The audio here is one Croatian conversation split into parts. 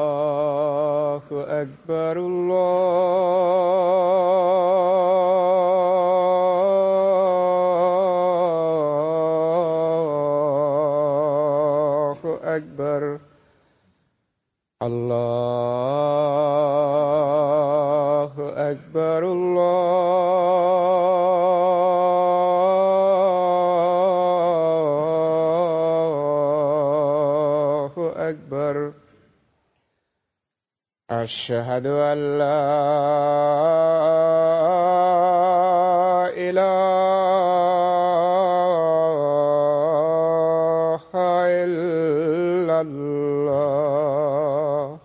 الله أكبر الله أكبر الله أكبر الله أكبر أشهد أن لا إله إلا الله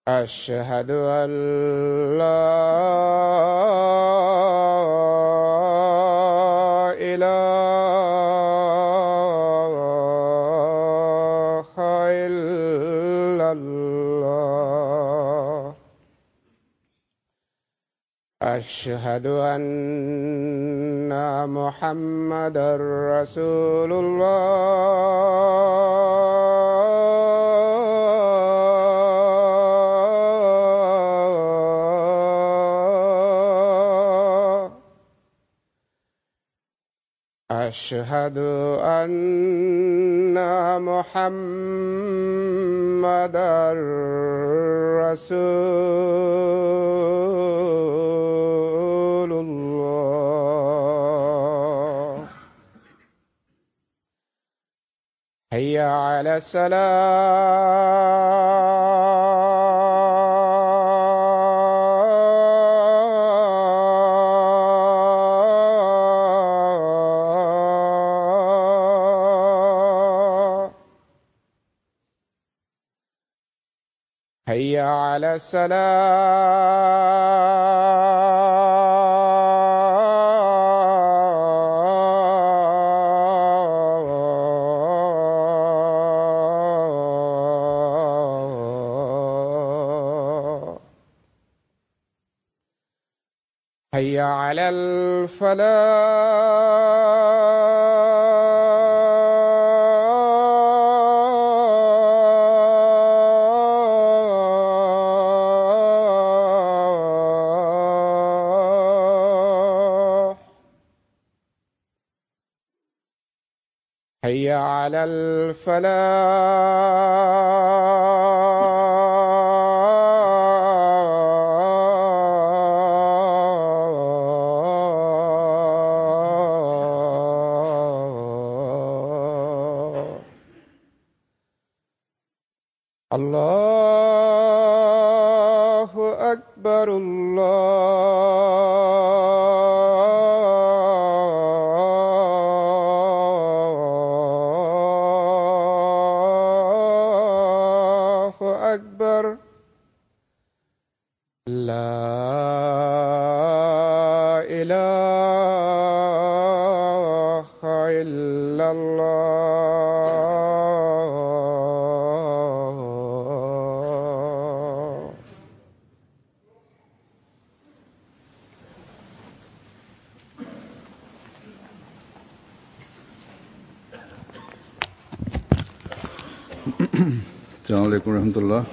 أشهد أن لا إله إلا الله أشهد أن محمدا رسول الله أشهد أن محمدا رسول الله حي على الصلاة حي على الصلاة حي على الفلاح حي على الفلاح الله أكبر الله أكبر لا إله إلا الله अस्सलामु अलैकुम रहमतुल्लाह।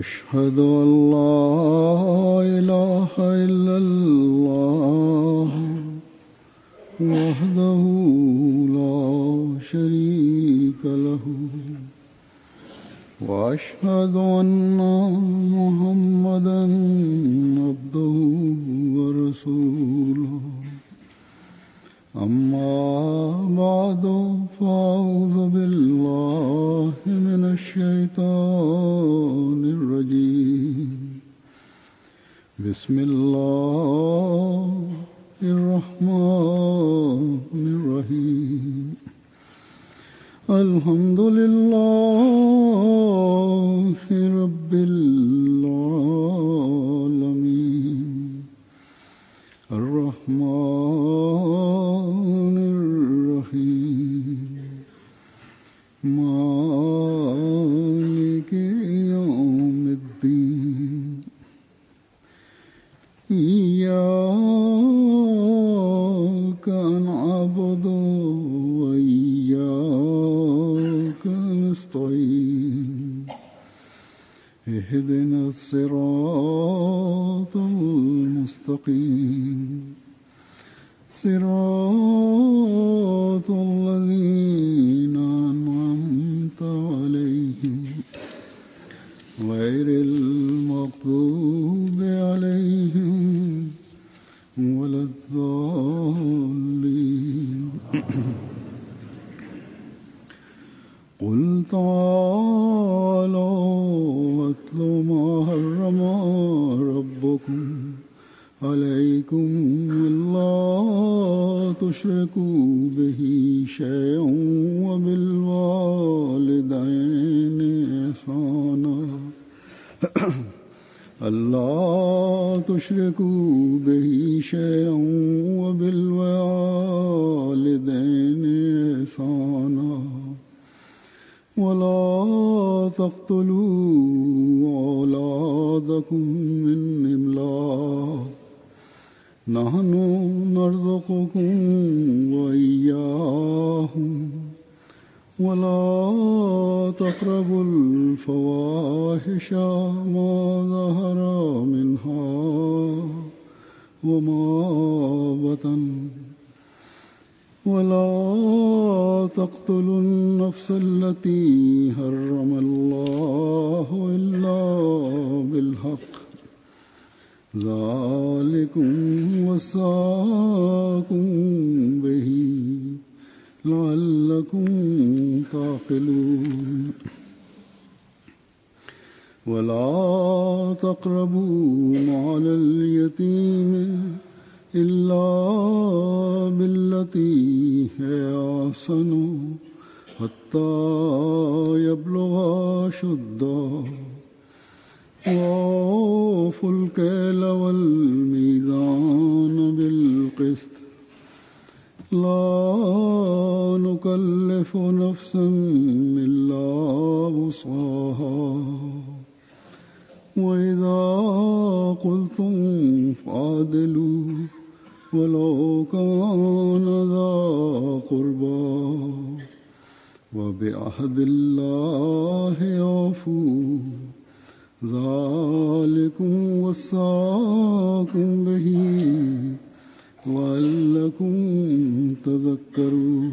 अशहदु अल्ला इलाहा इल्लल्लाह वहदहु ला शरीका लहु وأشهد أن محمدا عبده ورسوله أما بعد فأعوذ بالله من الشيطان الرجيم بسم الله الرحمن الرحيم الحمد لله رب العالمين الرحمن مالك يوم الدين إياك نعبد وإياك نستعين اهدنا الصراط المستقيم صراط الذين أنعمت عليهم غير المغضوب عليهم ولا الضالين قل تعالوا واتلوا ما حرم ربكم عليكم ألا تشركوا به شيئا وبالوالدين إحسانا ألا تشركوا به شيئا وبالوالدين إحسانا ولا تقتلوا أولادكم من إملاق نحن نرزقكم وإياهم ولا تقربوا الفواحش ما ظهر منها وما بطن ولا تقتلوا النفس التي حرم الله إلا بالحق ذلكم وصاكم به لعلكم تعقلون ولا تقربوا مال اليتيم إلا بالتي هي أحسن حتى يبلغ أشده وأوفوا الكيل والميزان بالقسط لا نكلف نفسا إلا وسعها وإذا قلتم فعدلوا ولو كان ذا قربى وبعهد الله أوفوا ذلكم وصاكم به لعلكم تذكرون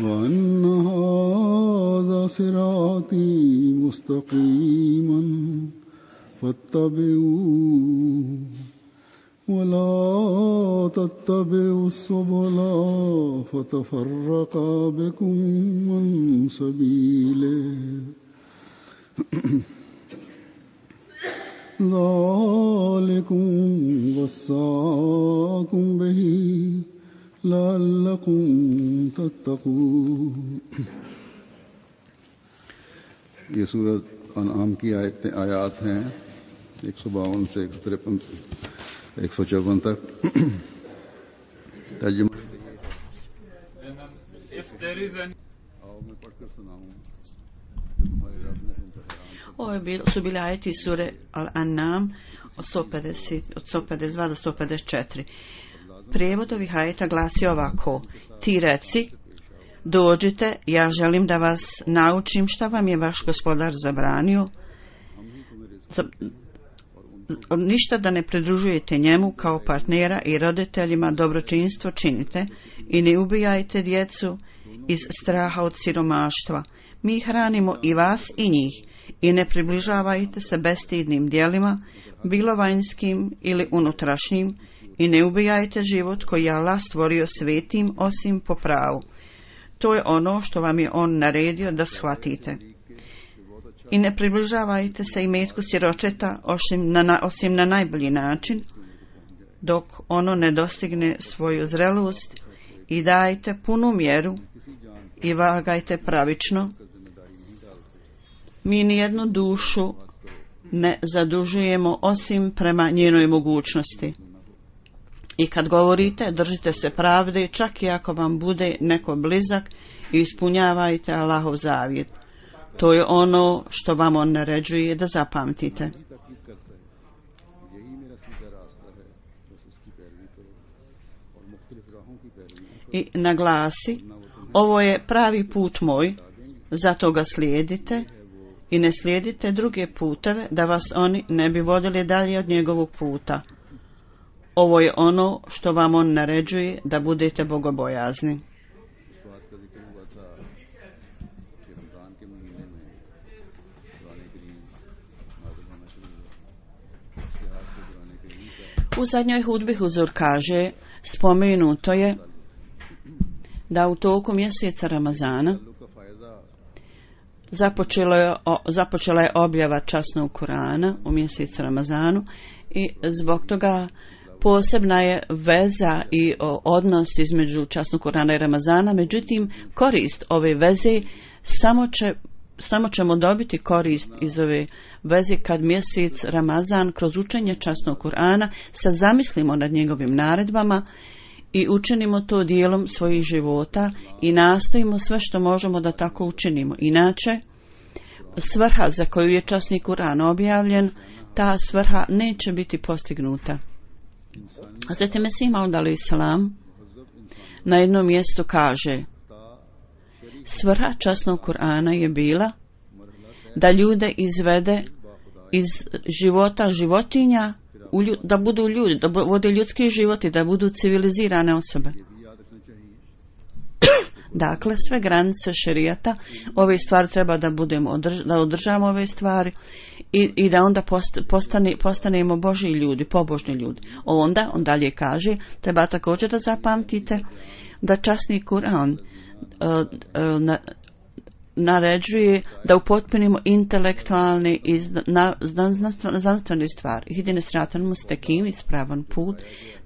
وأن هذا صراطي مستقيما فاتبعوه ولا تتبعوا السبل فتفرق بكم عن سبيله ذلكم وصاكم به لعلكم تتقون. ये सूरत अनआम की आयात हैं 152 से 154 तक। तर्जुमा आओ मैं पढ़कर सुनाऊं तुम्हारे रब ने तुम पर Ovo su bili ajeti sure Al-An'am od 152 do 154. Prijevod ovih ajeta glasi ovako: Ti reci, dođite, ja želim da vas naučim šta vam je vaš gospodar zabranio, ništa da ne pridružujete njemu kao partnera i roditeljima dobročinstvo činite i ne ubijajte djecu iz straha od siromaštva. Mi hranimo i vas i njih i ne približavajte se bestidnim djelima, bilo vanjskim ili unutrašnjim, i ne ubijajte život koji je Allah stvorio svetim osim po pravu. To je ono što vam je on naredio da shvatite. I ne približavajte se imetku siročeta osim na najbolji način, dok ono ne dostigne svoju zrelost, i dajte punu mjeru i vagajte pravično. Mi nijednu dušu ne zadužujemo osim prema njenoj mogućnosti. I kad govorite, držite se pravde, čak i ako vam bude neko blizak, i ispunjavajte Allahov zavjet. To je ono što vam on naređuje da zapamtite. I naglasi, ovo je pravi put moj, zato ga slijedite i ne slijedite druge puteve da vas oni ne bi vodili dalje od njegovog puta. Ovo je ono što vam on naređuje da budete bogobojazni. U zadnjoj hudbi Huzur kaže, spomenuto je da u toku mjeseca Ramazana započela je objava časnog Kurana u mjesecu Ramazanu i zbog toga posebna je veza i odnos između časnog Kurana i Ramazana. Međutim, korist ove veze samo ćemo dobiti korist iz ove veze kad mjesec Ramazan kroz učenje časnog Kurana se zamislimo nad njegovim naredbama i učinimo to dijelom svojih života i nastojimo sve što možemo da tako učinimo. Inače, svrha za koju je časni Kuran objavljen, ta svrha neće biti postignuta. Zatim Mesih Maud alejhi selam na jednom mjestu kaže, svrha časnog Kurana je bila da ljude izvede iz života životinja, da budu ljudi, da vode ljudski život i da budu civilizirane osobe. Dakle, sve granice šerijata, ove stvari treba da da održavamo ove stvari i da onda postanemo Božji ljudi, pobožni ljudi. Onda, on dalje kaže, treba također da zapamtite da časni Kur'an naređuje da upotpunimo intelektualne i znanstvene stvari. Idine sratan mustakim, ispravan put,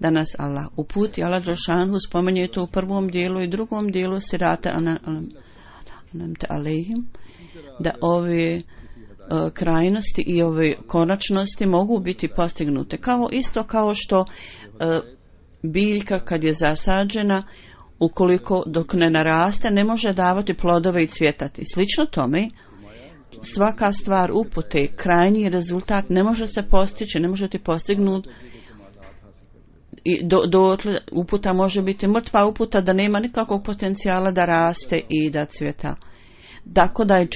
da nas Allah uputi. Allah dželešanu spominje to u prvom dijelu i drugom dijelu sirata anamte alejhim, da ove krajnosti i ove konačnosti mogu biti postignute. Isto kao što biljka kad je zasađena, ukoliko dok ne naraste, ne može davati plodove i cvjetati. Slično tome, svaka stvar upute, krajnji rezultat ne može se postići, ne može ti postignuti i uputa može biti mrtva uputa da nema nikakvog potencijala da raste i da cvjeta. Tako da je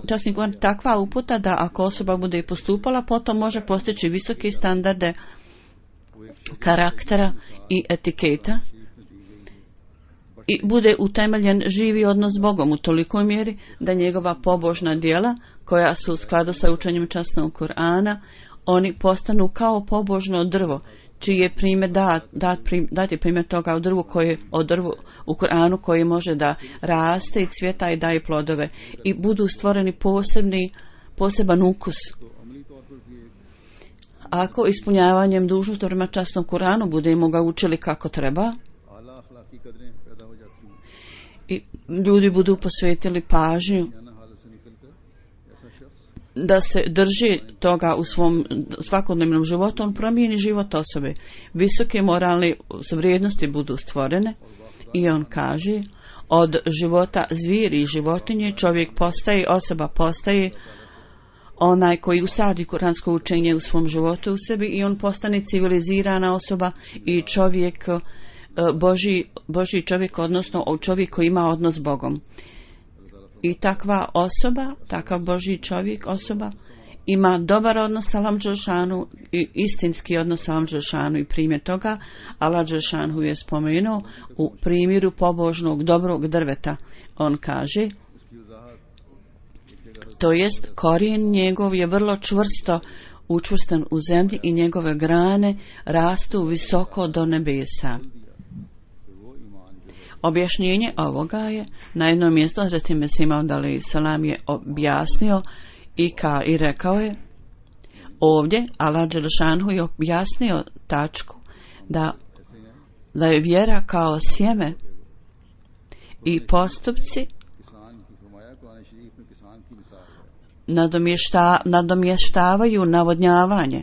časni Kur'an takva uputa da ako osoba bude postupala, potom može postići visoke standarde karaktera i etiketa i bude utemeljen živi odnos s Bogom u tolikoj mjeri da njegova pobožna djela koja su u skladu sa učenjem časnog Kur'ana, oni postanu kao pobožno drvo, čiji je primjer dati primjer toga o drvu u Kur'anu koji može da raste i cvjeta i daje plodove i budu stvoreni poseban ukus. Ako ispunjavanjem dužnosti prema časnom Kur'anu budemo ga učili kako treba i ljudi budu posvetili pažnju da se drži toga u svom svakodnevnom životu, on promijeni život osobe. Visoke moralne vrijednosti budu stvorene i on kaže, od života zvijeri i životinje osoba postaje onaj koji usadi kuransko učenje u svom životu u sebi i on postane civilizirana osoba i čovjek, Božji čovjek, odnosno čovjek koji ima odnos s Bogom. I takva osoba, takav Božji čovjek, osoba, ima dobar odnos sa Allahom dželešanu i istinski odnos sa Allahom dželešanu i primjer toga Allah dželešanu je spomenuo u primjeru pobožnog dobrog drveta. On kaže, to jest korijen njegov je vrlo čvrsto učvrstan u zemlji i njegove grane rastu visoko do nebesa. Objašnjenje ovoga je na jednom mjestu, a zatim Mesih Maud alejhi selam je objasnio i rekao je, ovdje Allah dželešanu je objasnio tačku da je vjera kao sjeme i postupci nadomještavaju navodnjavanje.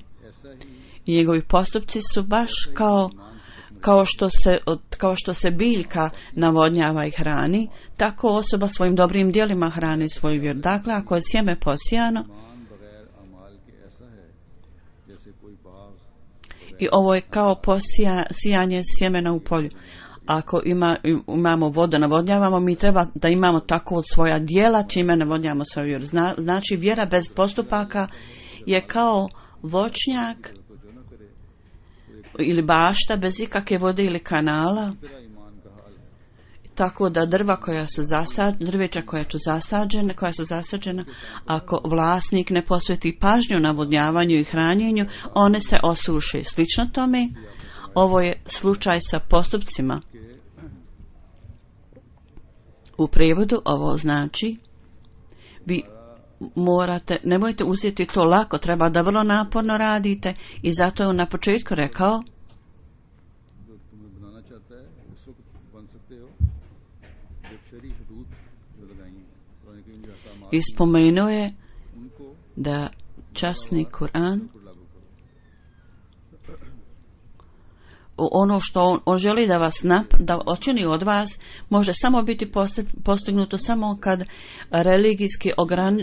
I njegovi postupci su baš kao što se biljka navodnjava i hrani, tako osoba svojim dobrim djelima hrani svoju vjeru. Dakle, ako je sjeme posijano, i ovo je kao posijanje sjemena u polju. Ako imamo vodu, navodnjavamo, mi treba da imamo tako od svoja djela čime navodnjavamo svoju vjeru. Znači, vjera bez postupaka je kao voćnjak ili bašta bez ikakve vode ili kanala, tako da drveća koja su zasađena, ako vlasnik ne posveti pažnju navodnjavanju i hranjenju, one se osuše. Slično tome, ovo je slučaj sa postupcima. U prijevodu ovo znači, vi nemojte uzeti to lako, treba da vrlo naporno radite, i zato je on na početku rekao i spomenuo je da časni Kur'an, ono što on želi da vas da učini od vas, može samo biti postignuto samo kad religijski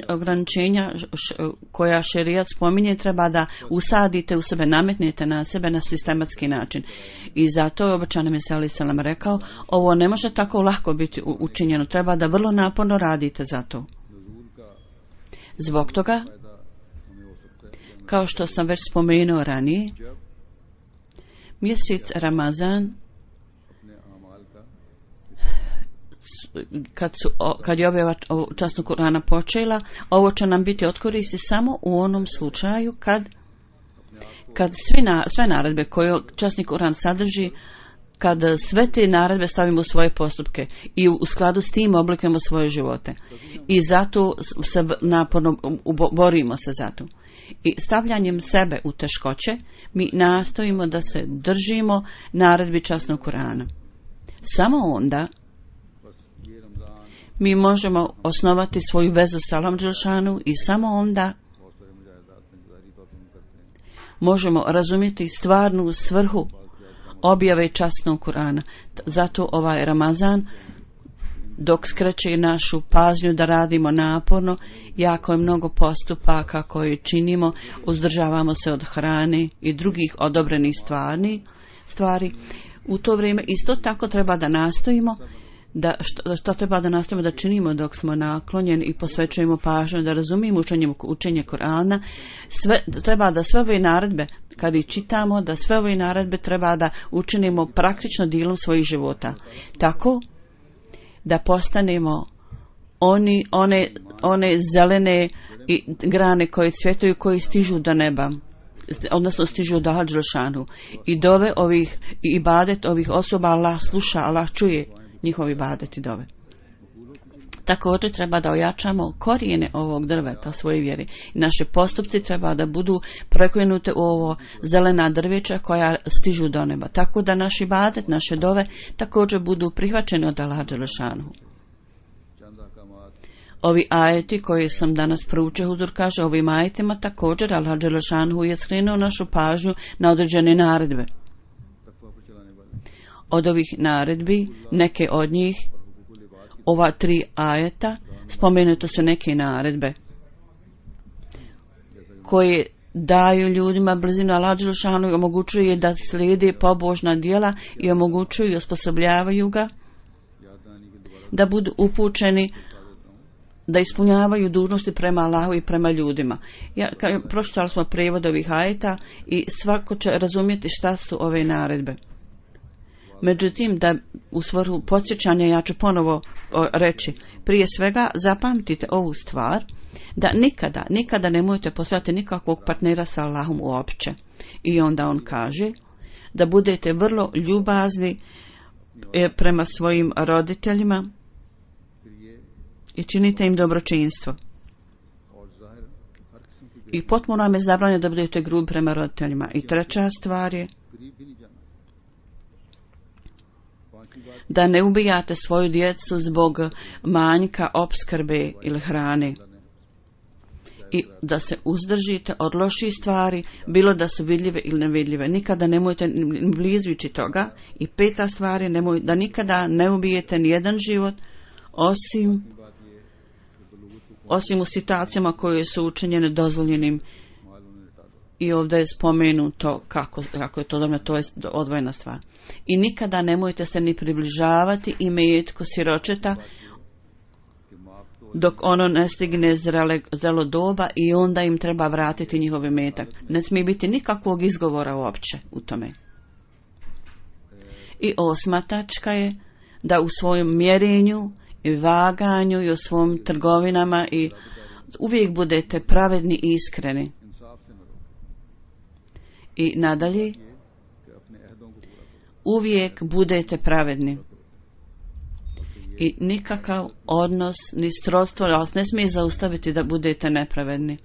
ograničenja koja šerijat spominje treba da usadite u sebe, nametnete na sebe na sistematski način. I zato je obećani Mesija alejhi selam rekao, ovo ne može tako lako biti učinjeno, treba da vrlo naporno radite za to. Zbog toga, kao što sam već spomenuo ranije, mjesec Ramazan, kad je objava časnog Kur'ana počela, ovo će nam biti od koristi samo u onom slučaju kad sve naredbe koje časni Kur'an sadrži, kad sve te naredbe stavimo u svoje postupke i u skladu s tim oblikujemo svoje živote. I zato se naporno borimo se za to. I stavljanjem sebe u teškoće mi nastojimo da se držimo naredbi časnog Kur'ana. Samo onda mi možemo osnovati svoju vezu s Allahom dželešanu i samo onda možemo razumjeti stvarnu svrhu objave časnog Kur'ana. Zato ovaj Ramazan, dok skreće našu pažnju da radimo naporno, jako je mnogo postupaka koje činimo, uzdržavamo se od hrane i drugih odobrenih stvari. U to vrijeme isto tako treba da nastojimo što treba da nastavimo da činimo dok smo naklonjeni i posvećujemo pažnju da razumijemo učenje Kur'ana. Treba da sve ove naredbe, kad ih čitamo, da sve ove naredbe treba da učinimo praktično dijelom svojih života. Tako da postanemo one zelene grane koje cvjetaju, koji stižu do neba, odnosno stižu do Allaha dželešanu. I dove ovih, i ibadet ovih osoba Allah sluša, Allah čuje njihovi ibadet i dove. Također treba da ojačamo korijene ovog drveta svoje vjere. I naše postupci treba da budu preklenute u ovo zelena drveća koja stižu do neba. Tako da naš ibadet, naše dove također budu prihvaćeni od Allaha dželešanu. Ovi ajeti koje sam danas proučio, Huzur kaže, ovim ajetima također Allah dželešanu je skrenuo našu pažnju na određene naredbe. Od ovih naredbi, neke od njih, ova 3 ajeta, spomenute su neke naredbe koje daju ljudima brzinu Allaha dželešanu i omogućuju da slijede pobožna djela i omogućuju i osposobljavaju ga da budu upućeni, da ispunjavaju dužnosti prema Allahu i prema ljudima. Pročitali smo prijevod ovih ajeta i svako će razumjeti šta su ove naredbe. Međutim, da u svrhu podsjećanja ja ću ponovo reći, prije svega zapamtite ovu stvar, da nikada nemojte postojati nikakvog partnera sa Allahom uopće. I onda on kaže da budete vrlo ljubazni prema svojim roditeljima i činite im dobročinstvo. I potpuno vam je zabranjeno da budete grubi prema roditeljima. I treća stvar je da ne ubijate svoju djecu zbog manjka opskrbe ili hrane. i da se uzdržite od loših stvari, bilo da su vidljive ili nevidljive. Nikada nemojte ni blizu ići toga. I 5. stvar je da nikada ne ubijete nijedan život osim u situacijama koje su učinjene dozvoljenim. I ovdje je spomenuto kako je to dobro, to je odvojena stvar. I nikada nemojte se ni približavati imetku siročeta dok ono ne stigne zrelo doba i onda im treba vratiti njihov imetak. Ne smije biti nikakvog izgovora uopće u tome. I 8. tačka je da u svojem mjerenju i vaganju i u svojim trgovinama i uvijek budete pravedni i iskreni. I nadalje, uvijek budete pravedni. I nikakav odnos ni srodstvo vas ne smije zaustaviti da budete nepravedni.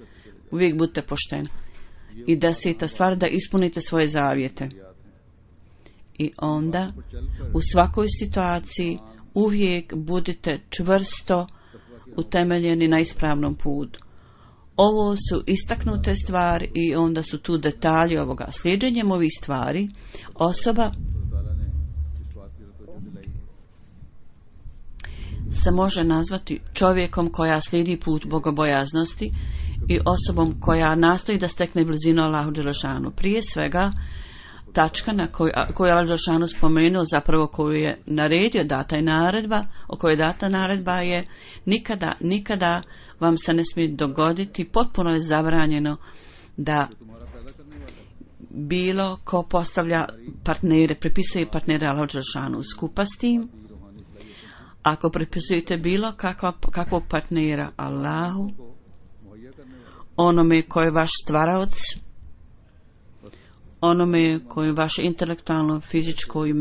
Uvijek budete pošteni. I 10. stvar, da ispunite svoje zavjete. I onda u svakoj situaciji uvijek budite čvrsto utemeljeni na ispravnom putu. Ovo su istaknute stvari i onda su tu detalji ovoga. Slijedjenjem ovih stvari osoba se može nazvati čovjekom koja slijedi put bogobojaznosti i osobom koja nastoji da stekne blizinu Allahu dželešanu. Prije svega, tačka na koju je Allah dželešanu spomenuo, zapravo koju je naredio, data je naredba, o kojoj je data naredba je nikada vam se ne smije dogoditi, potpuno je zabranjeno da bilo ko postavlja partnere, pripisuje partnere Allahu dželešanu. Skupa s tim, ako pripisujete bilo kakvog partnera Allahu, onome koji je vaš stvaraoc, onome koji je vaše intelektualno, fizičko i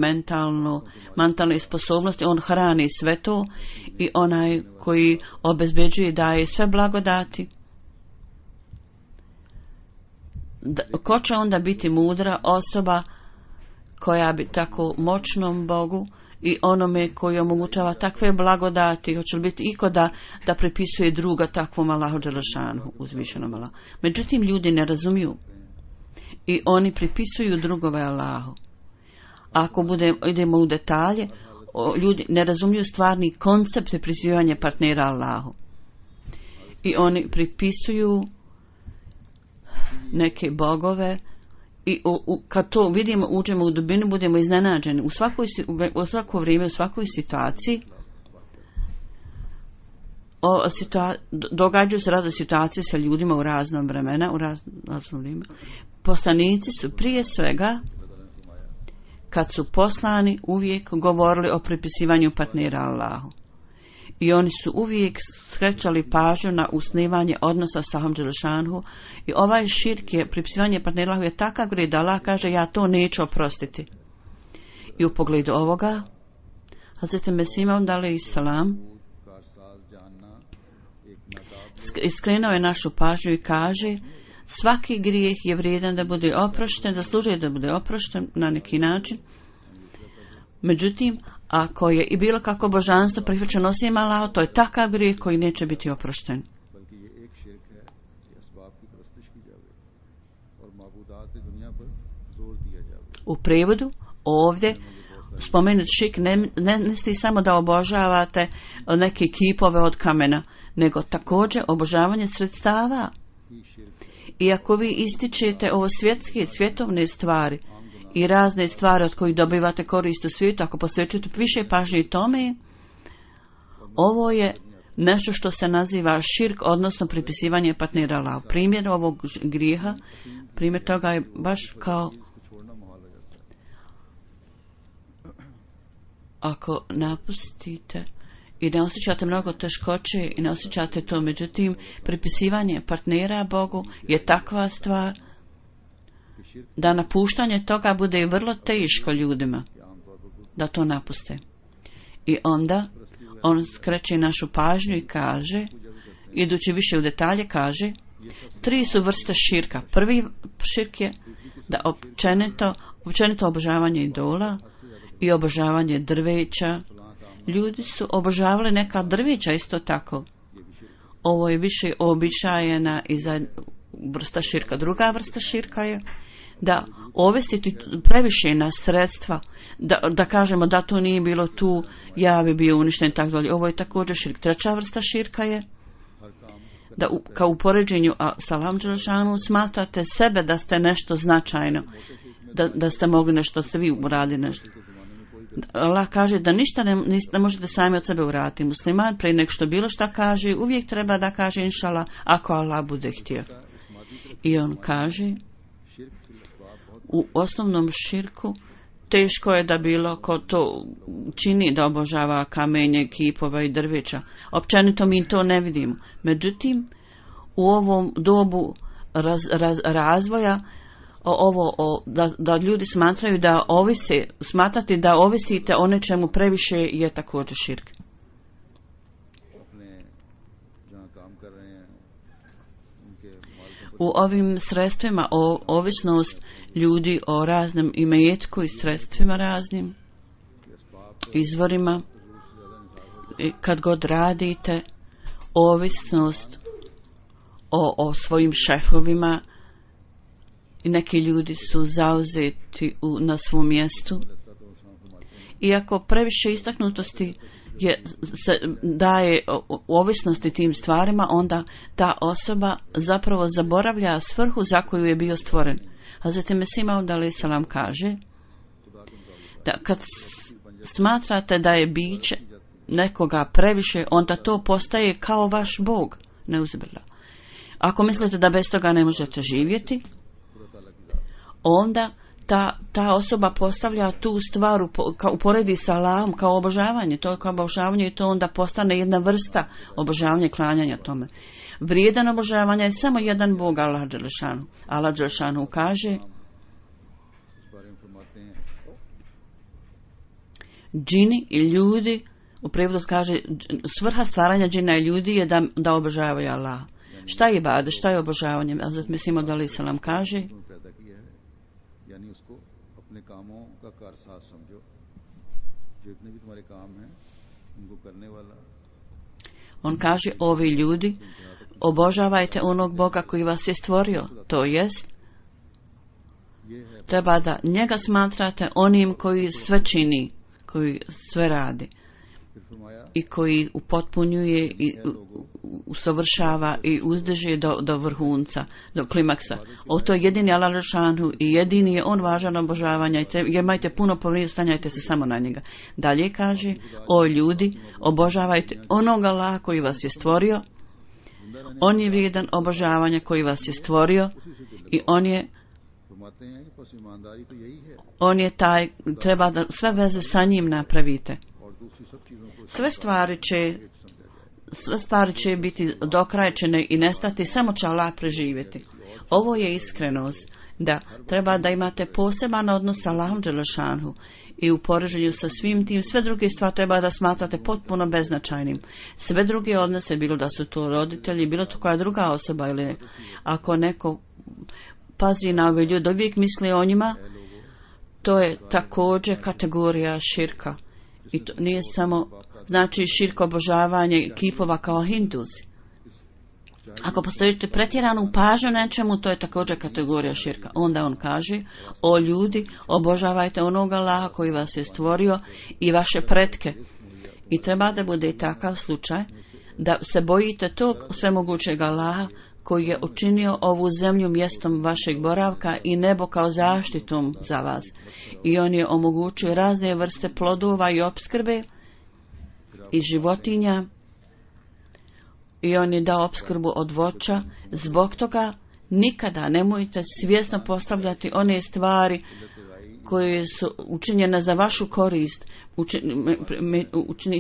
mentalne sposobnosti, on hrani sve to i onaj koji obezbeđuje daje sve blagodati. Ko će onda biti mudra osoba koja bi tako moćnom Bogu i onome koji omogućava takve blagodati, hoće li biti iko da pripisuje druga takvom Allahu dželešanu, uzvišenom Allahu. Međutim, ljudi ne razumiju i oni pripisuju drugove Allahu. Ako idemo u detalje, ljudi ne razumiju stvarni koncept pripisivanja partnera Allahu. I oni pripisuju neke bogove i kad to vidimo, uđemo u dubinu, budemo iznenađeni. U svako vrijeme, u svakoj situaciji događaju se razne situacije sa ljudima u raznom vremena, u raznom vrijeme. Poslanici su prije svega, kad su poslani, uvijek govorili o pripisivanju partnera Allahu. I oni su uvijek skrećali pažnju na usnivanje odnosa sa Allahom dželešanu. I ovaj širk je, pripisivanje partnera Allahu je takav grijeh da Allah kaže ja to neću oprostiti. I u pogledu ovoga, Hazreti Mesih Maud alejhiselam skrenuo je našu pažnju i kaže svaki grijeh je vrijedan da bude oprošten, zaslužuje da bude oprošten na neki način. Međutim, ako je i bilo kako božanstvo prihvaćeno osim Allaha, to je takav grijeh koji neće biti oprošten. U prevodu ovdje spomenut širk ne misli samo da obožavate neke kipove od kamena, nego također obožavanje sredstava. I ako vi ističete ovo svjetske, svjetovne stvari i razne stvari od kojih dobivate korist u svijetu, ako posvećujete više pažnje tome, ovo je nešto što se naziva širk, odnosno pripisivanje partnera Allahu. Primjer ovog grijeha, primjer toga je baš kao ako napustite i ne osjećate mnogo teškoće i ne osjećate to, međutim pripisivanje partnera Bogu je takva stvar da napuštanje toga bude vrlo teško ljudima da to napuste. I onda on skreće našu pažnju i kaže, idući više u detalje, kaže 3 su vrste širka. Prvi širk je da općenito obožavanje idola i obožavanje drveća. Ljudi su obožavali neka drveća isto tako. ovo je više običajena i vrsta širka. Druga vrsta širka je da ovisiti previše na sredstva, da kažemo da to nije bilo tu, ja bi bio uništen i tako dalje. Ovo je također širk. Treća vrsta širka je da kao u poređenju sa Allahom dželešanu smatrate sebe da ste nešto značajno, da ste mogli nešto, ste vi uradili nešto. Allah kaže da ništa ne možete sami od sebe uraditi. Musliman prije nek što bilo šta kaže, uvijek treba da kaže inšala ako Allah bude htio. I on kaže u osnovnom širku teško je da bilo ko to čini da obožava kamenje, kipova i drveća. Općenito mi to ne vidimo. Međutim, u ovom dobu razvoja da ljudi smatraju da smatrati da ovisite o nečemu previše je također širk. U ovim sredstvima ovisnost ljudi o raznim imetku i sredstvima raznim, izvorima, kad god radite, ovisnost o svojim šefovima, i neki ljudi su zauzeti na svom mjestu. Iako previše istaknutosti se daje u ovisnosti tim stvarima, onda ta osoba zapravo zaboravlja svrhu za koju je bio stvoren. Hazreti Mesih Maud alejhi selam kaže da kad smatrate da je biće nekoga previše, onda to postaje kao vaš Bog. Neuzubillah. Ako mislite da bez toga ne možete živjeti, onda ta osoba postavlja tu stvar uporedi sa Allahom kao obožavanje. To je kao obožavanje i to onda postane jedna vrsta obožavanja i klanjanja tome. Vrijedan obožavanja je samo jedan Bog, Allah dželešanu. Allah dželešanu kaže džini i ljudi, u prijevodu kaže svrha stvaranja džina i ljudi je da obožavaju Allah. Šta je ibadet, šta je obožavanje? Hazret Mesih Maud alejhi selam kaže on kaže ovi ljudi obožavajte onog Boga koji vas je stvorio, to jest treba da njega smatrate onim koji sve čini, koji sve radi i koji upotpunjuje i usavršava i uzdrži do vrhunca, do klimaksa. To je jedini Allah dželešanu i jedini je on važan obožavanja i imajte puno povjerenja, stanjajte se samo na njega. Dalje kaže, o ljudi, obožavajte onog Allaha koji vas je stvorio, on je vrijedan obožavanja koji vas je stvorio i on je taj, treba da sve veze sa njim napravite. Sve stvari će biti dokrajčene i nestati, samo će Allah preživjeti. Ovo je iskrenost, da treba da imate poseban odnos sa Allahom dželešanu i u poređenju sa svim tim, sve druge stvari treba da smatrate potpuno beznačajnim. Sve druge odnose, bilo da su to roditelji, bilo to koja druga osoba ili ako neko pazi na ove ljude, uvijek misli o njima, to je također kategorija širka. I to nije samo znači širk obožavanje kipova kao Hinduzi. Ako postavite pretjeranu pažnju nečemu, to je također kategorija širka. Onda on kaže, o ljudi, obožavajte onog Allaha koji vas je stvorio i vaše pretke. I treba da bude takav slučaj da se bojite tog svemogućeg Allaha koji je učinio ovu zemlju mjestom vašeg boravka i nebo kao zaštitom za vas. I on je omogućio razne vrste plodova i opskrbe i životinja i on je dao opskrbu od voća. Zbog toga nikada nemojte svjesno postavljati one stvari koje su učinjene za vašu korist,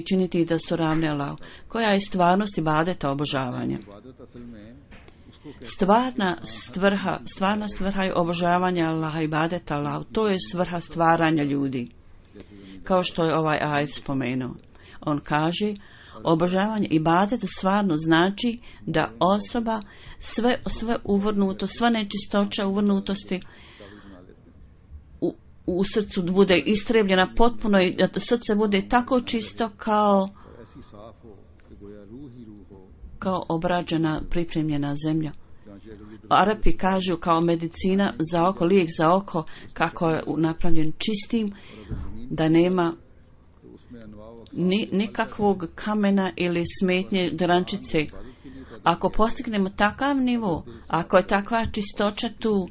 činiti da su ravne Allahu. Koja je stvarnost ibadeta obožavanja? Stvarna svrha je obožavanja Allaha i ibadeta Allahu. To je svrha stvaranja ljudi. Kao što je ovaj ajet spomenuo. On kaže, obožavanje ibadeta stvarno znači da osoba sve uvrnuto, sva nečistoća uvrnutosti u srcu bude istrebljena potpuno i da srce bude tako čisto kao ऐसी साफ हो कि गोया रूह ही रूह हो। kao obrađena, pripremljena zemlja. Arapi kažu kao medicina za oko, lijek za oko, kako je napravljen čistim, da nema nikakvog kamena ili smetnje drančice. Ako postignemo takav nivo, ako je takva čistoća tu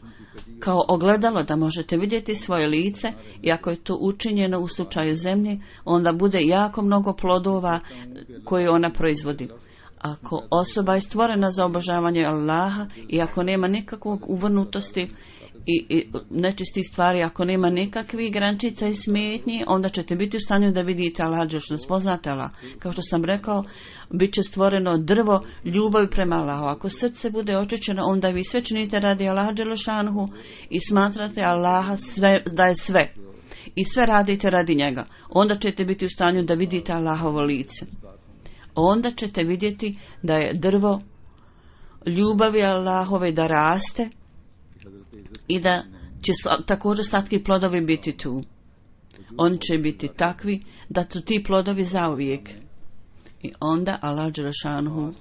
kao ogledalo da možete vidjeti svoje lice, i ako je to učinjeno u slučaju zemlje, onda bude jako mnogo plodova koje ona proizvodi. Ako osoba je stvorena za obožavanje Allaha i ako nema nikakvog uvrnutosti i nečistih stvari, ako nema nikakvih grančica i smetnji, onda ćete biti u stanju da vidite Allah, što spoznate Allah. Kao što sam rekao, bit će stvoreno drvo ljubavi prema Allahu. Ako srce bude očišćeno, onda vi sve činite radi Allaha dželešanhu i smatrate Allaha da je sve. I sve radite radi njega. Onda ćete biti u stanju da vidite Allahovo lice. Onda ćete vidjeti da je drvo ljubavi Allahove da raste i da će također slatki plodovi biti tu. Oni će biti takvi da su ti plodovi zauvijek. I onda Allah dželešanhu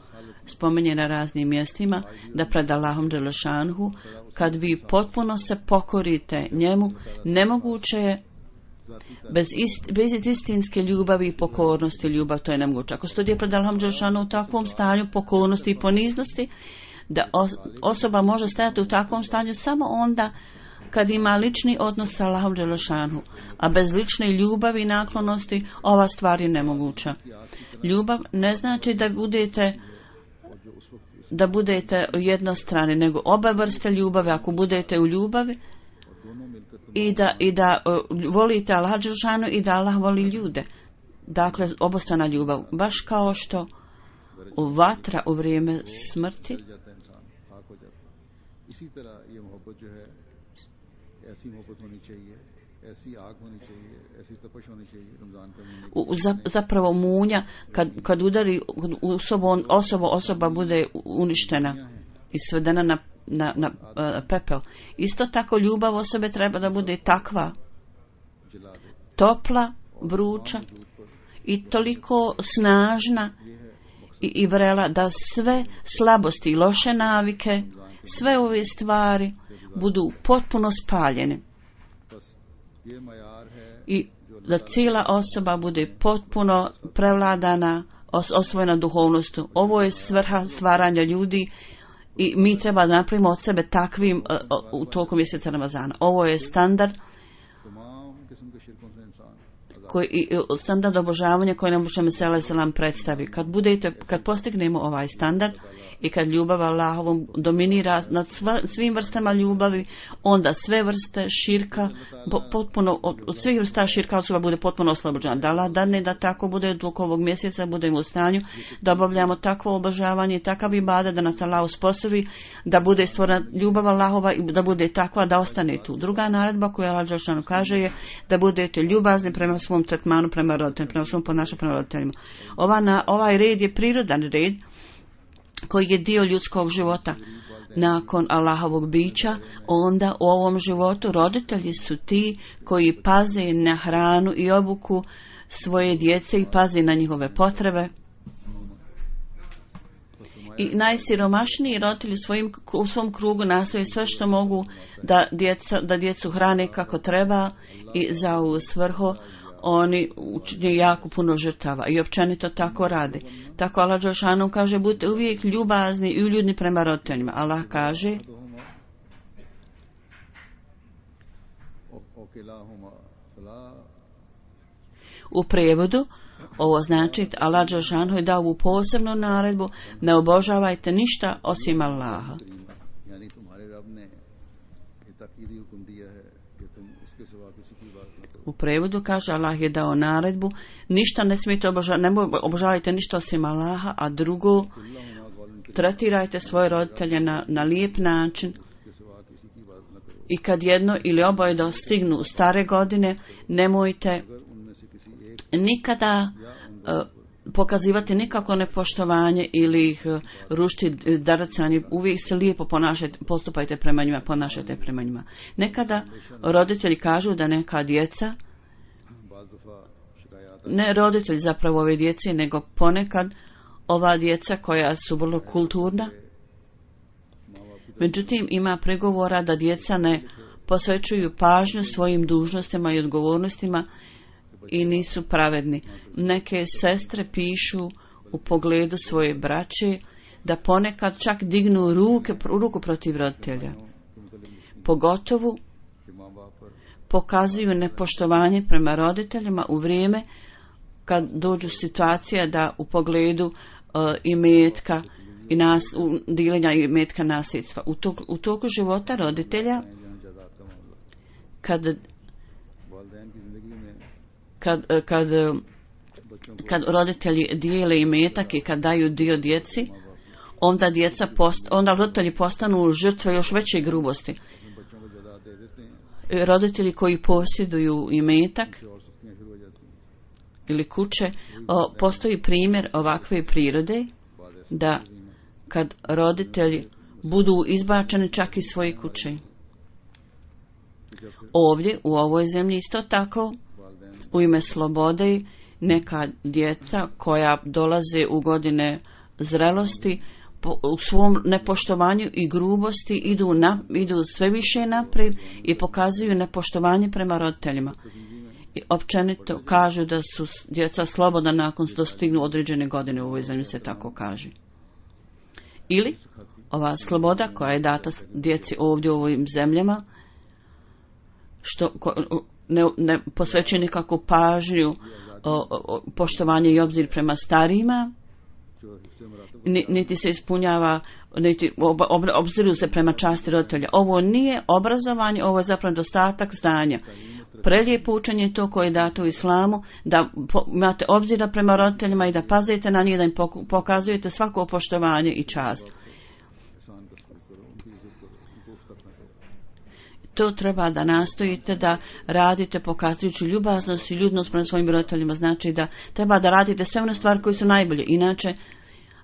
spominje na raznim mjestima da pred Allahom dželešanhu, kad vi potpuno se pokorite njemu, nemoguće je bez istinske ljubavi i pokornosti. Ljubav, to je nemoguće. Ako studije pred Allahom dželešanhu u takvom stanju pokornosti i poniznosti, da osoba može stajati u takvom stanju samo onda kad ima lični odnos sa Allahom dželešanhu, a bez lične ljubavi i naklonosti ova stvar je nemoguća. Ljubav ne znači da budete jednostrani, nego oba vrste ljubavi. Ako budete u ljubavi i da volite Allaha dželešanhu i da Allah voli ljude, dakle obostrana ljubav, baš kao što vatra u vrijeme smrti इसी तरह ये मोहब्बत जो है ऐसी मोहब्बत होनी चाहिए, ऐसी आग होनी चाहिए, ऐसी तपश होनी चाहिए रमजान का महीने। Zapravo munja kad udari u osoba bude uništena i svedena na pepel. Isto tako ljubav osobe treba da bude takva, topla, vruća i toliko snažna i vrela da sve slabosti i loše navike, sve ove stvari budu potpuno spaljene i da cijela osoba bude potpuno prevladana, osvojena duhovnostu. Ovo je svrha stvaranja ljudi i mi treba da napravimo od sebe takvim u toku mjeseca Ramazana. Ovo je standard standard obožavanja koji nam Muhammed sallallahu alejhi ve sellem predstavi. Kad postignemo ovaj standard i kad ljubav Allahovom dominira nad svim vrstama ljubavi, onda sve vrste širka potpuno od svih vrsta širka osoba bude potpuno oslobođena. Da Allah dadne da tako bude dok ovog mjeseca budemo u stanju da obavljamo takvo obožavanje i takav ibadet da nas Allah usposobi da bude stvorena ljubav Allahova i da bude takva da ostane tu. Druga naredba koju Allah dželle kaže je da budete ljubazni prema svom tretmanu prema roditeljima, prema svom ponašanju prema roditeljima. Ovaj red je prirodan red koji je dio ljudskog života. Nakon Allahovog bića, onda u ovom životu roditelji su ti koji paze na hranu i obuku svoje djece i paze na njihove potrebe. I najsiromašniji roditelji u svom krugu nastoje sve što mogu da djecu hrane kako treba i za ovu svrhu oni učine jako puno žrtava i općenito tako rade. Tako Allah dželešanu kaže budite uvijek ljubazni i uljudni prema roditeljima. Allah kaže u prijevodu ovo znači Allah dželešanu je dao ovu posebnu naredbu ne obožavajte ništa osim Allaha. U prevodu kaže Allah je dao naredbu ništa ne smijete obožavajte ništa osim Allaha, a drugo tretirajte svoje roditelje na lijep način i kad jedno ili oboje dostignu stare godine nemojte nikada pokazivati nikako nepoštovanje ili ih rušiti, daracanje, uvijek se lijepo postupajte prema njima, ponašajte prema njima. Nekada roditelji kažu da neka djeca ne roditelj zapravo ove djece, nego ponekad ova djeca koja su vrlo kulturna. Međutim, ima pregovora da djeca ne posvećuju pažnju svojim dužnostima i odgovornostima i nisu pravedni. Neke sestre pišu u pogledu svoje braće da ponekad čak dignu ruku protiv roditelja. Pogotovo pokazuju nepoštovanje prema roditeljima u vrijeme kad dođu situacija da u pogledu imetka i dijeljenja imetka nasljedstva. U toku života roditelja kad roditelji dijele imetak i kad daju dio djeci, onda roditelji postanu žrtve još veće grubosti. Roditelji koji posjeduju imetak ili kuće, postoji primjer ovakve prirode da kad roditelji budu izbačeni čak iz svoje kuće. Ovdje, u ovoj zemlji isto tako, u ime slobode, neka djeca koja dolaze u godine zrelosti u svom nepoštovanju i grubosti idu sve više naprijed i pokazuju nepoštovanje prema roditeljima. I općenito kažu da su djeca slobodna nakon što dostignu određene godine, u ovoj zemlji se tako kaže. Ili ova sloboda koja je data djeci ovdje u ovim zemljama, što ne posvećuje nikakvu pažnju, poštovanje i obzir prema starijima, niti se ispunjava, niti obziruju se prema časti roditelja. Ovo nije obrazovanje, ovo je zapravo dostatak znanja. Prelijepo učenje je to koje je dato u islamu, da imate obzira prema roditeljima i da pazite na njih, da im pokazujete svako poštovanje i čast. To treba da nastojite da radite pokazujući ljubaznost i ljudnost prema svojim roditeljima. Znači da treba da radite sve one stvari koje su najbolje. Inače,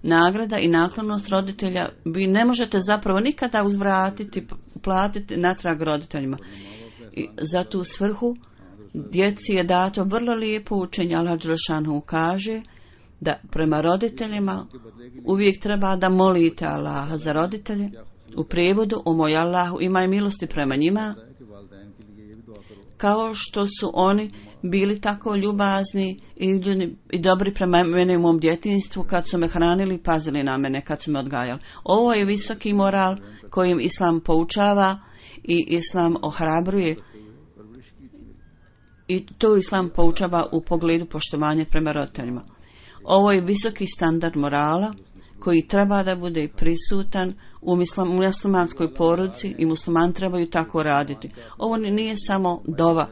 nagrada i naklonost roditelja vi ne možete zapravo nikada uzvratiti, platiti natrag roditeljima. I za tu svrhu djeci je dato vrlo lijepo učenje. Allah dželešanu kaže da prema roditeljima uvijek treba da molite Allaha za roditelje. U prijevodu, o moj Allahu, imaj milosti prema njima, kao što su oni bili tako ljubazni i dobri prema mene u mom djetinjstvu kad su me hranili i pazili na mene kad su me odgajali. Ovo je visoki moral kojim Islam poučava i Islam ohrabruje. I to Islam poučava u pogledu poštovanja prema roditeljima. Ovo je visoki standard morala koji treba da bude prisutan u muslimanskoj porodici i muslimani trebaju tako raditi. Ovo nije samo dova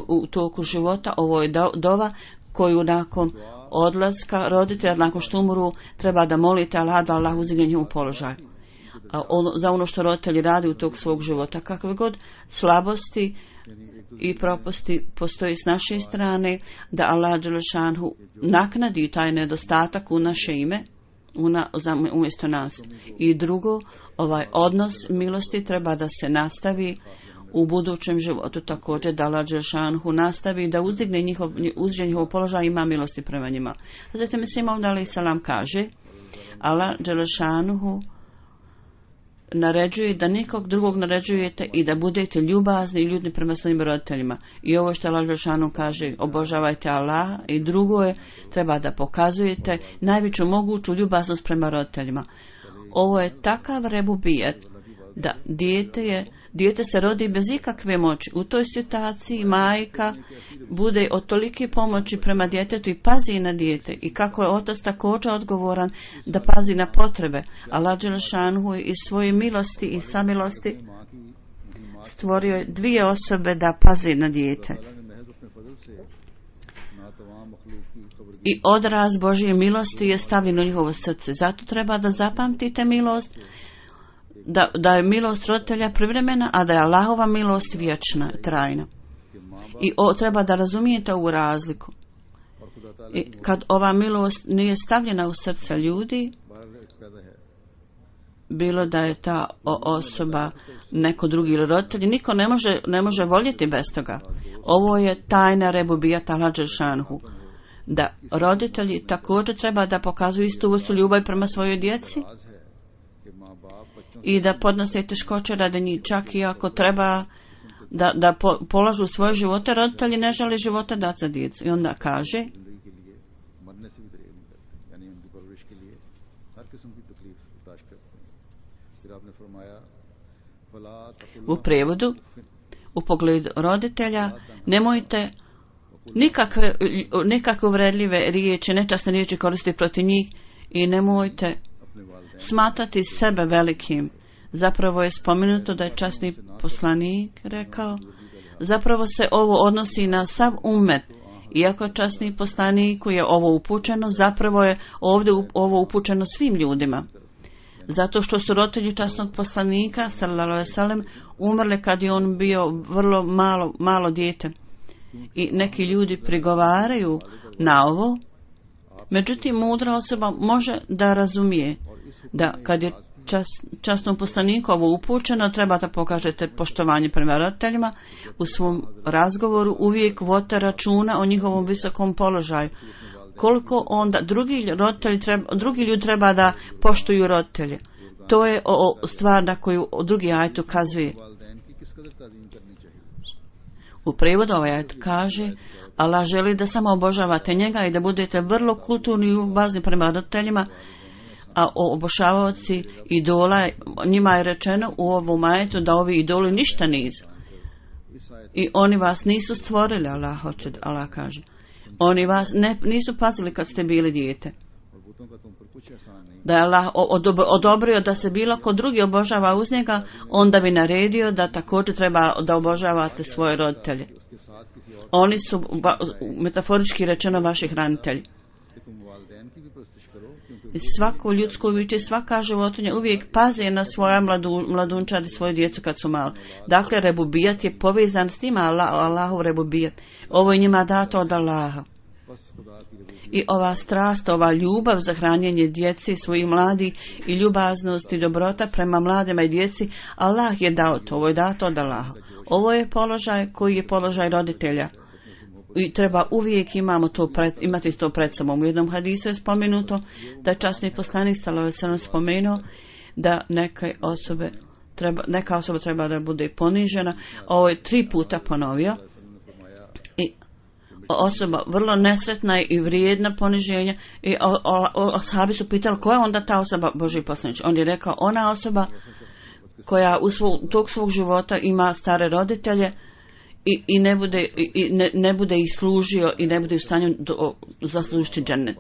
u toku života, ovo je dova koju nakon odlaska roditelja, nakon što umru, treba da molite Allah da Allah uzdigne njihov položaj. Za ono što roditelji radi u tog svog života. Kakve god slabosti i propusti postoji s naše strane, da Allah dželešanu naknadi taj nedostatak u naše ime, umjesto nas. I drugo, ovaj odnos milosti treba da se nastavi u budućem životu također, da Allah dželešanu nastavi da uzdigne njihov položaj, ima milosti prema njima. Zatim Mesih Maud alejhi selam kaže, Allah dželešanu naređuje da nikog drugog naređujete i da budete ljubazni i ljudni prema svojim roditeljima. I ovo što Allah dželešanu kaže, obožavajte Allaha, i drugo je, treba da pokazujete najveću moguću ljubaznost prema roditeljima. Ovo je takav rebubijet da dijete se rodi bez ikakve moći. U toj situaciji majka bude od tolike pomoći prema djetetu i pazi na dijete. I kako je otac također odgovoran da pazi na potrebe. Allah dželešanu iz svoje milosti i samilosti stvorio je dvije osobe da pazi na dijete. I odraz Božje milosti je stavljen u njihovo srce. Zato treba da zapamtite milost, da je milost roditelja privremena, a da je Allahova milost vječna, trajna. I treba da razumijete ovu razliku. I kad ova milost nije stavljena u srce ljudi, bilo da je ta osoba neko drugi ili roditelj, niko ne može voljeti bez toga. Ovo je tajna rebubijata Allah dželšanhu, da roditelji također treba da pokazuju istu vrstu ljubavi prema svojoj djeci i da podnose teškoće radi njih, čak i ako treba da polažu svoje živote. Roditelji ne žele života dati za djecu. I onda kaže u prijevodu, u pogledu roditelja, nemojte nikakve uvredljive riječi, nečasne riječi koristiti protiv njih i nemojte smatrati sebe velikim. Zapravo je spomenuto da je časni poslanik rekao, zapravo se ovo odnosi na sav umet. Iako časni poslaniku je ovo upućeno, zapravo je ovdje ovo upućeno svim ljudima. Zato što su roditelji časnog poslanika, sallallahu alejhi ve sellem, umrli kad je on bio vrlo malo dijete. I neki ljudi prigovaraju na ovo, međutim mudra osoba može da razumije da kad je časnom poslaniku ovo upućeno, treba da pokažete poštovanje prema roditeljima u svom razgovoru, uvijek vodite računa o njihovom visokom položaju. Koliko onda drugi ljudi treba da poštuju roditelje. To je stvar na koju drugi ajet ukazuje. U prijevodu ovaj ajet kaže, Allah želi da samo obožavate njega i da budete vrlo kulturni i ljubazni prema roditeljima, a obožavaoci idola, njima je rečeno u ovom ajetu da ovi idoli ništa nisu. I oni vas nisu stvorili, Allah kaže. Oni vas nisu pazili kad ste bili dijete. Da je Allah odobrio da se bilo ko drugi obožava uz njega, onda bi naredio da također treba da obožavate svoje roditelje. Oni su metaforički rečeno vaši hranitelji. Svako ljudsko biće, svaka životinja uvijek pazi na svoja mladunčad i svoju djecu kad su mali. Dakle, rebubijat je povezan s njima, Allahov rebubijat. Ovo je njima dato od Allaha. I ova strast, ova ljubav za hranjenje djeci, svojih mladih i ljubaznost i dobrota prema mladima i djeci, Allah je dao to, ovo je dato od Allaha. Ovo je položaj koji je položaj roditelja. I treba uvijek imati to pred sobom. U jednom hadisu je spomenuto da je časni poslanik sallallahu alejhi ve sellem spomenuo da neka osoba treba da bude ponižena. Ovo je 3 puta ponovio. I osoba vrlo nesretna i vrijedna poniženja. I ashabi su pitali koja je onda ta osoba, Božji poslanik. On je rekao, ona osoba koja tog svog života ima stare roditelje i ne bude ih služio i ne bude u stanju zaslužiti džennet.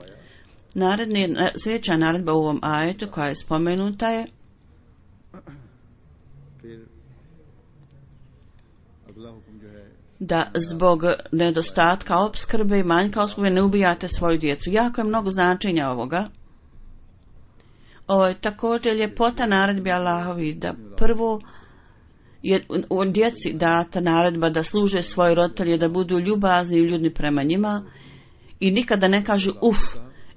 Sljedeća naredba u ovom ajetu koja je spomenuta je da zbog nedostatka opskrbe i manjka opskrbe ne ubijate svoju djecu. Jako je mnogo značenja ovoga. Ovo je također ljepota naredbi Allahovi, da prvo je u djeci data naredba da služe svoje roditelje, da budu ljubazni i ljudni prema njima i nikada ne kažu uf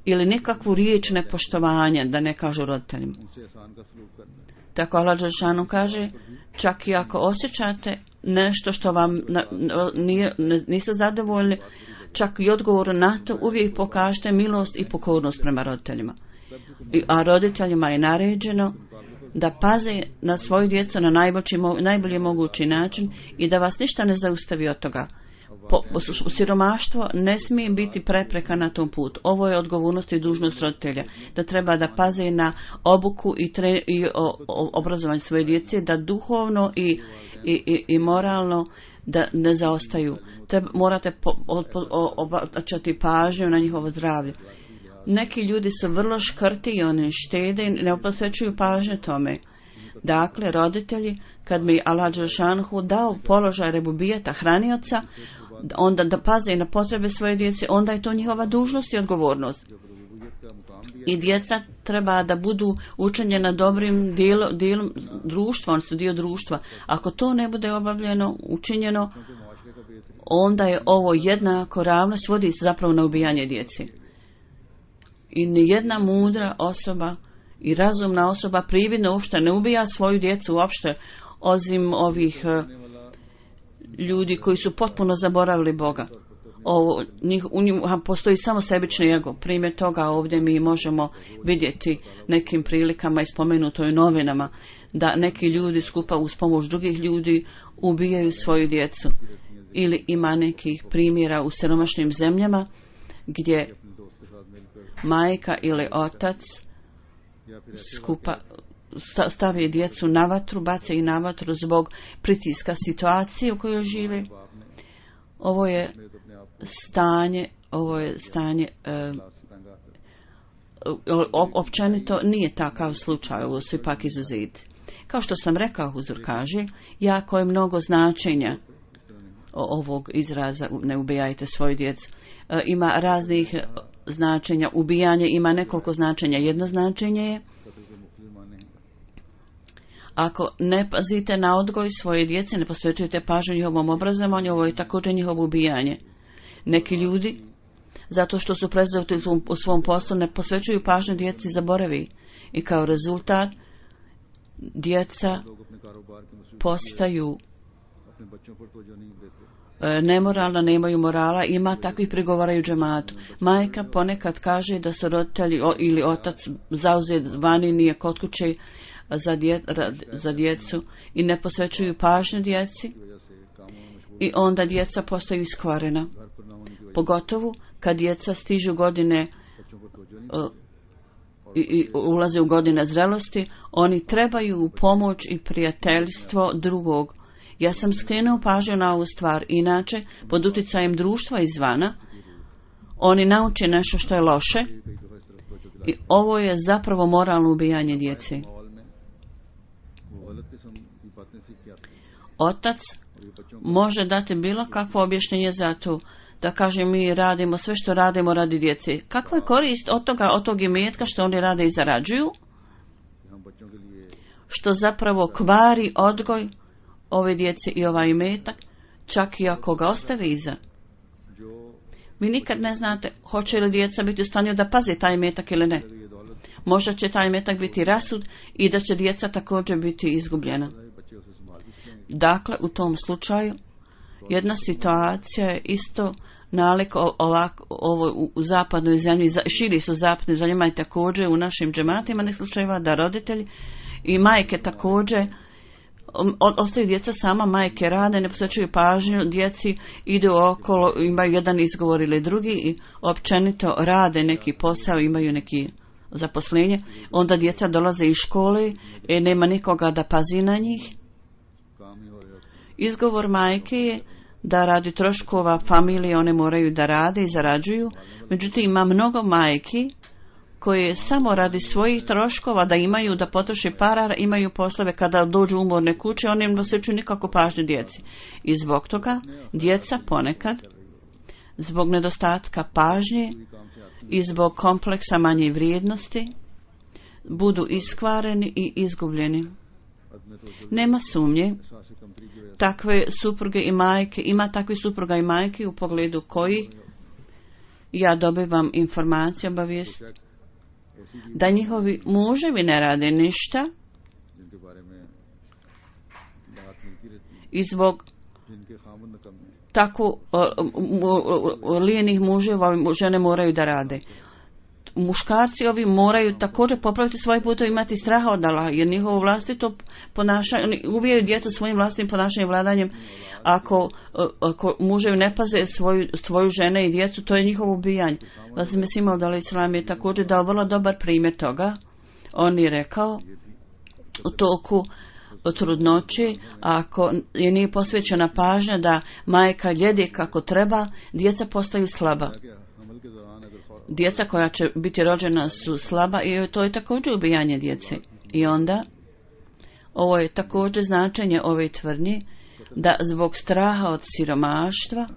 ili nikakvu riječ nepoštovanja da ne kažu roditeljima. Tako Allah dželešanu kaže, čak i ako osjećate nešto što vam niste zadovoljni, čak i odgovor na to, uvijek pokažete milost i pokornost prema roditeljima. A roditeljima je naređeno da paze na svoju djecu na najbolji mogući način i da vas ništa ne zaustavi od toga. Siromaštvo ne smije biti prepreka na tom putu. Ovo je odgovornost i dužnost roditelja, da treba da paze na obuku i obrazovanje svoje djece, da duhovno i moralno da ne zaostaju. Morate obraćati pažnju na njihovo zdravlje. Neki ljudi su vrlo škrti i oni štede i ne posvećuju pažnje tome. Dakle, roditelji, kad mi Allah dželešanu dao položaj rebubijeta hranioca, onda da paze na potrebe svoje djece, onda je to njihova dužnost i odgovornost. I djeca treba da budu učenjena dobrim dijelom društva, oni su dio društva. Ako to ne bude obavljeno, učinjeno, onda je ovo jednako ravno, svodi se zapravo na ubijanje djeci. I nijedna mudra osoba i razumna osoba prividno uopšte ne ubija svoju djecu uopšte, osim ovih ljudi koji su potpuno zaboravili Boga. U njima postoji samo sebični ego. Primjer toga ovdje mi možemo vidjeti nekim prilikama i spomenuto u novinama da neki ljudi skupa uz pomoć drugih ljudi ubijaju svoju djecu. Ili ima nekih primjera u siromašnim zemljama gdje majka ili otac skupa stavi djecu na vatru, baca ih na vatru zbog pritiska situacije u kojoj žive. Ovo je stanje općenito nije takav slučaj, ovo su ipak izuzeti. Kao što sam rekao, Huzur kaže, jako je mnogo značenja ovog izraza ne ubijajte svoju djecu. Ima raznih značenja. Ubijanje ima nekoliko značenja. Jedno značenje je ako ne pazite na odgoj svoje djece, ne posvećujete pažnju njihovom obrazovanju, ovo je također njihovo ubijanje. Neki ljudi, zato što su prezreti u svom poslu, ne posvećuju pažnju djeci, zaboravi. I kao rezultat, djeca postaju nemoralna, nemaju morala, ima takvih prigovara u džematu. Majka ponekad kaže da su roditelji ili otac zauzet vani, nije kod kuće za djecu i ne posvećuju pažnju djeci i onda djeca postaju iskvarena. Pogotovo kad djeca stižu godine i ulaze u godine zrelosti, oni trebaju pomoć i prijateljstvo drugog. Ja sam skrenuo pažnju na ovu stvar, inače pod utjecajem društva izvana oni nauče nešto što je loše i ovo je zapravo moralno ubijanje djece. Otac može dati bilo kakvo objašnjenje za to, da kaže mi radimo sve što radimo radi djece. Kakva je korist od tog imetka što oni rade i zarađuju? Što zapravo kvari odgoj ove djece i ovaj imetak, čak i ako ga ostave iza. Vi nikad ne znate hoće li djeca biti u stanju da paze taj imetak ili ne. Možda će taj imetak biti rasud i da će djeca također biti izgubljena. Dakle, u tom slučaju jedna situacija je isto nalik ovo u zapadnoj zemlji, širi su zapadnoj zemljama i također u našim džematima nekih slučajeva da roditelji i majke također ostaju djeca sama, majke rade, ne posvećuju pažnju, djeci idu okolo, imaju jedan izgovor ili drugi i općenito rade neki posao, imaju neki zaposlenje, onda djeca dolaze iz škole i nema nikoga da pazi na njih. Izgovor majke je da radi troškova familije one moraju da rade i zarađuju, međutim ima mnogo majki koje samo radi svojih troškova da imaju, da potroše para, imaju poslove kada dođu umorne kuće, oni ne posvećuju nikako pažnju djeci. I zbog toga djeca ponekad, zbog nedostatka pažnje i zbog kompleksa manje vrijednosti, budu iskvareni i izgubljeni. Nema sumnje, takve supruge i majke, ima takvih supruga i majke u pogledu kojih ja dobivam informacije, obavijest, da njihovi muževi ne rade ništa i zbog tako lijenih muževa žene moraju da rade. Muškarci ovi moraju također popraviti svoje putove, imati straha od Allaha, jer njihovo vlastito ponašanje, oni ubijaju djecu svojim vlastnim ponašanjem i vladanjem. Ako muževi ne paze svoju žene i djecu, to je njihovo ubijanje. Vasim Mesima Udala Islam je također dao vrlo dobar primjer toga. On je rekao u toku trudnoći, ako je nije posvećena pažnja da majka jede kako treba, djeca postaju slaba. Djeca koja će biti rođena su slaba i to je također ubijanje djece. I onda, ovo je također značenje ove tvrdnje, da zbog straha od siromaštva,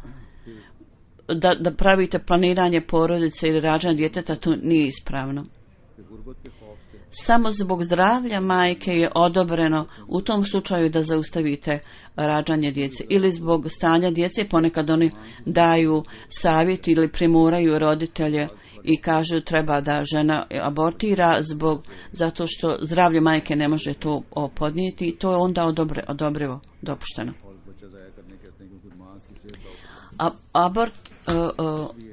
da pravite planiranje porodice ili rađanja djeteta, to nije ispravno. Samo zbog zdravlja majke je odobreno u tom slučaju da zaustavite rađanje djece ili zbog stanja djece, ponekad oni daju savjet ili primoraju roditelje i kažu treba da žena abortira zato što zdravlje majke ne može to podnijeti i to je onda odobrivo, dopušteno.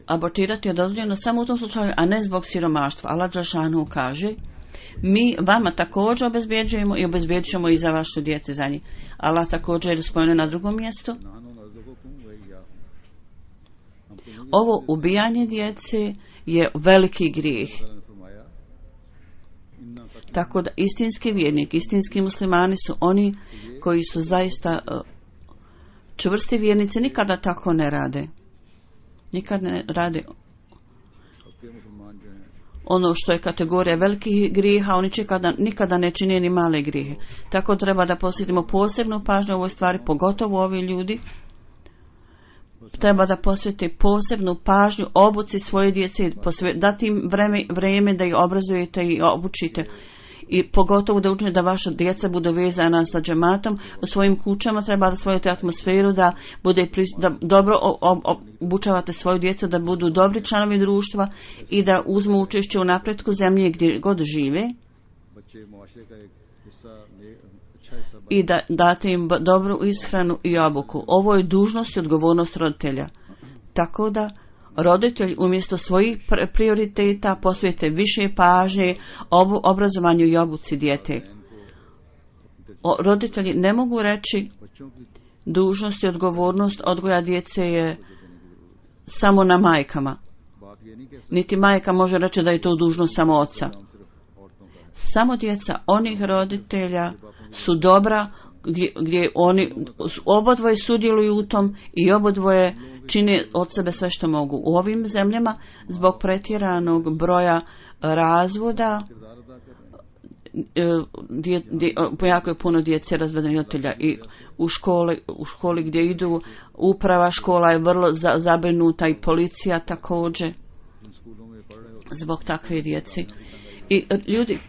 Abortirati je dozvoljeno samo u tom slučaju, a ne zbog siromaštva. Allah dželešanu kaže: mi vama također obezbjeđujemo i obezbjedit ćemo i za vašu djecu za njih. Allah također je spomenuo na drugom mjestu. Ovo ubijanje djece je veliki grijeh. Tako da istinski vjernik, istinski muslimani su oni koji su zaista čvrsti vjernici, nikada tako ne rade. Nikad ne rade ono što je kategorija velikih grijeha, oni nikada ne čine ni male grijehe. Tako treba da posvetimo posebnu pažnju u ovoj stvari, pogotovo ovi ljudi. Treba da posvete posebnu pažnju obuci svoje djece, dati im vrijeme da ih obrazujete i obučite. I pogotovo da učinite da vaša djeca budu vezana sa džematom u svojim kućama, treba da stvorite atmosferu da dobro obučavate svoju djecu, da budu dobri članovi društva i da uzmu učešće u napretku zemlje gdje god žive i da date im dobru ishranu i obuku. Ovo je dužnost i odgovornost roditelja. Tako da roditelji umjesto svojih prioriteta posvete više pažnje obrazovanju i obuci dijete. Roditelji ne mogu reći dužnost i odgovornost odgoja djece je samo na majkama. Niti majka može reći da je to dužnost samo oca. Samo djeca onih roditelja su dobra gdje oni obodvoje sudjeluju u tom i obodvoje čine od sebe sve što mogu. U ovim zemljama zbog pretjeranog broja razvoda jako je puno djece razvedenih roditelja i u školi gdje idu uprava škola je vrlo zabrinuta i policija također zbog takve djeci. I ljudi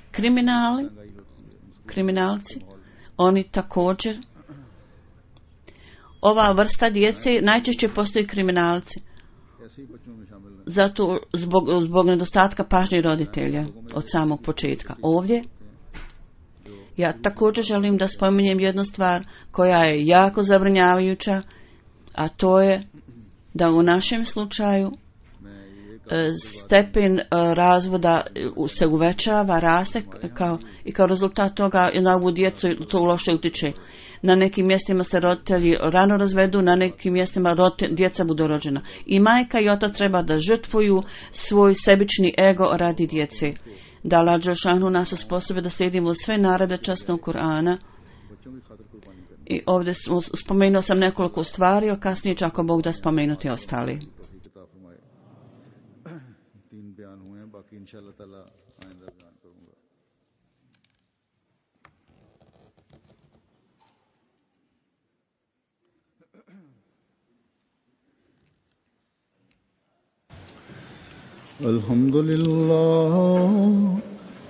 kriminalci, oni također, ova vrsta djece najčešće postoji kriminalci. Zato zbog nedostatka pažnje roditelja od samog početka. Ovdje ja također želim da spominjem jednu stvar koja je jako zabrinjavajuća, a to je da u našem slučaju stepen razvoda se uvećava, raste i kao rezultat toga na ovu djecu to loše utiče. Na nekim mjestima se roditelji rano razvedu, na nekim mjestima djeca budu rođena. I majka i otac treba da žrtvuju svoj sebični ego radi djece. Da Allah dželešanu nas osposobi da slijedimo sve naredbe časnog Kur'ana. I ovdje spomenuo sam nekoliko stvari, a kasnije će ako Bog da spomenuti ostali. इंशाअल्लाह ताला आइंदा बयान करूंगा।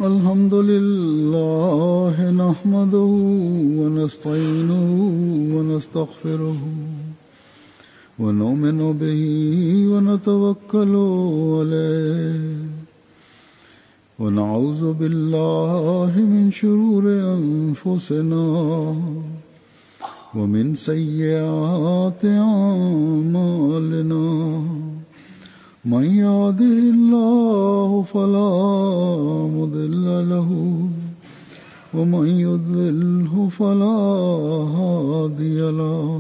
अल्हम्दुलिल्लाह नहमदुहु व नस्तईनुहु व नस्तगफिरुहु व नुमिनु बिही व नतवक्कलु अलैहि व नऊज़ु बिल्लाहि मिन शुरूरि अनफुसिना व मिन सय्यिआति अमालिना मन यहदिहिल्लाहु फला मुदिल्ल लहु व मन युद्लिल्हु फला हादिय लहु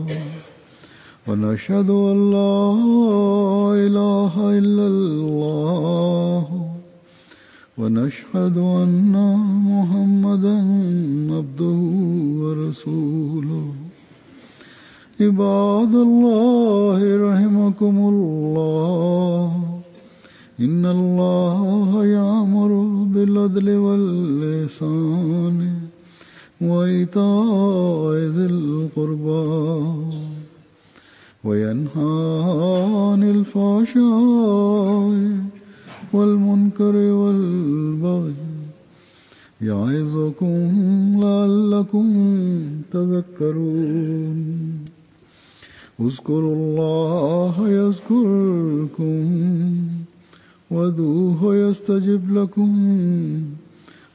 व नशहदु अन ला इलाहा इल्लल्लाह व नशहदु अन्ना मुहम्मदन अब्दुहु व रसूलुहु इबादल्लाह रहमकुमुल्लाह इन्नल्लाह यामुरु बिल अदलि वल इहसान व इताइ ज़िल क़ुरबा व यन्हा अनिल फ़हशाइ वल मुनकरि वल बग़य याइज़ुकुम लअल्लकुम तज़क्करून उज़्कुरुल्लाह यज़्कुरकुम وادعوه يستجب لكم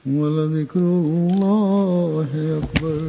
ولذكر الله أكبر